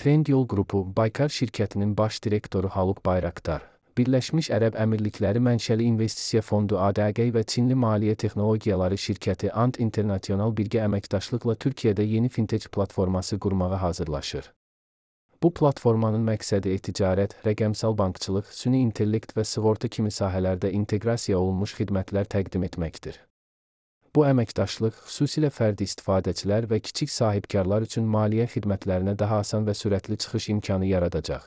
Trendyol Qrupu, Baykar şirkətinin baş direktoru Haluk Bayraktar, Birləşmiş Ərəb Əmirlikləri mənşəli investisiya fondu ADG və Çinli maliyyə texnologiyaları şirkəti Ant International birgə əməkdaşlıqla Türkiyədə yeni fintech platforması qurmağa hazırlaşır. Bu platformanın məqsədi e-ticarət, rəqəmsal bankçılıq, süni intellekt və sığorta kimi sahələrdə inteqrasiya olunmuş xidmətlər təqdim etməkdir. Bu əməkdaşlıq xüsusilə fərdi istifadəçilər və kiçik sahibkarlar üçün maliyyə xidmətlərinə daha asan və sürətli çıxış imkanı yaradacaq.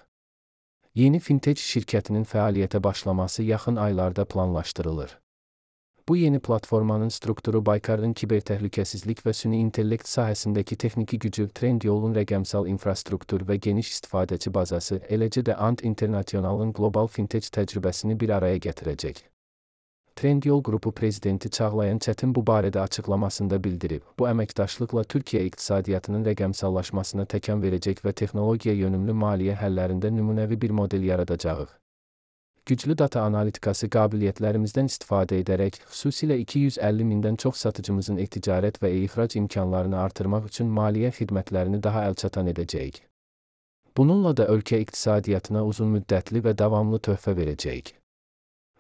Yeni fintech şirkətinin fəaliyyətə başlaması yaxın aylarda planlaşdırılır. Bu yeni platformanın strukturu Baykarın kibertəhlükəsizlik və süni intellekt sahəsindəki texniki gücü, Trendyolun rəqəmsal infrastruktur və geniş istifadəçi bazası, eləcə də Ant International'ın qlobal fintech təcrübəsini bir araya gətirəcək. Trendyol Qrupu prezidenti Çağlayan Çətin bu barədə açıqlamasında bildirib, bu əməkdaşlıqla Türkiyə iqtisadiyyatının rəqəmsallaşmasına təkan verəcək və texnologiya yönümlü maliyyə həllərində nümunəvi bir model yaradacağıq. Güclü data analitikası qabiliyyətlərimizdən istifadə edərək, xüsusilə 250 mindən çox satıcımızın e-ticarət və e-ixrac imkanlarını artırmaq üçün maliyyə xidmətlərini daha əlçatan edəcəyik. Bununla da ölkə iqtisadiyyatına uzunmüddətli və davamlı töhfə verəcəyik.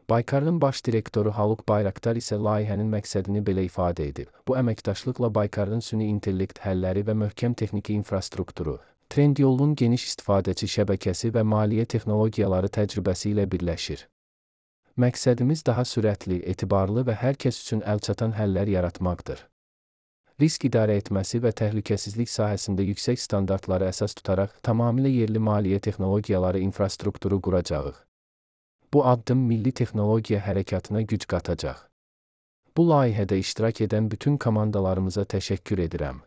Baykarın baş direktoru Haluk Bayraktar isə layihənin məqsədini belə ifadə edib. Bu əməkdaşlıqla Baykarın süni intellekt həlləri və möhkəm texniki infrastrukturu, Trendyolun geniş istifadəçi şəbəkəsi və maliyyə texnologiyaları təcrübəsi ilə birləşir. Məqsədimiz daha sürətli, etibarlı və hər kəs üçün əlçatan həllər yaratmaqdır. Risk idarə etməsi və təhlükəsizlik sahəsində yüksək standartları əsas tutaraq tamamilə yerli maliyyə texnologiyaları infrastrukturu quracağıq. Bu addım milli texnologiya hərəkatına güc qatacaq. Bu layihədə iştirak edən bütün komandalarımıza təşəkkür edirəm.